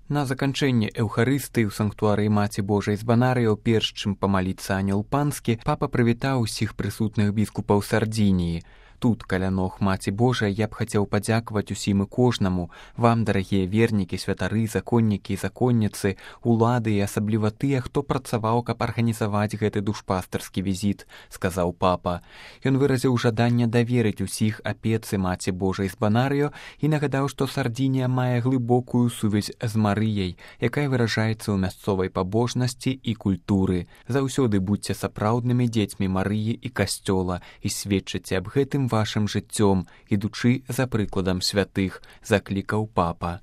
На заканчэнне эўхарыстыі ў санктуарыі Маці Божай з Банарыо, перш чым памаліцца ангел панскі, папа прывітаў усіх прысутных біскупаў Сардзініі. Тут, каля ног Маці Божай, я б хацеў падзякаваць усім і кожнаму, вам, дарагія вернікі, святары, законнікі і законніцы, улады і асабліва тыя, хто працаваў, каб арганізаваць гэты душпастарскі візіт, сказаў папа. Ён выразіў жаданне даверыць усіх апецы Маці Божай з Банарыо і нагадаў, што Сардзінія мае глыбокую сувязь з Марыяй, якая выражаецца ў мясцовай пабожнасці і культуры. Заўсёды будзьце сапраўднымі дзецьмі Марыі і касцёла і сведчыце аб гэтым вашым жыццём, ідучы за прыкладам святых, заклікаў папа.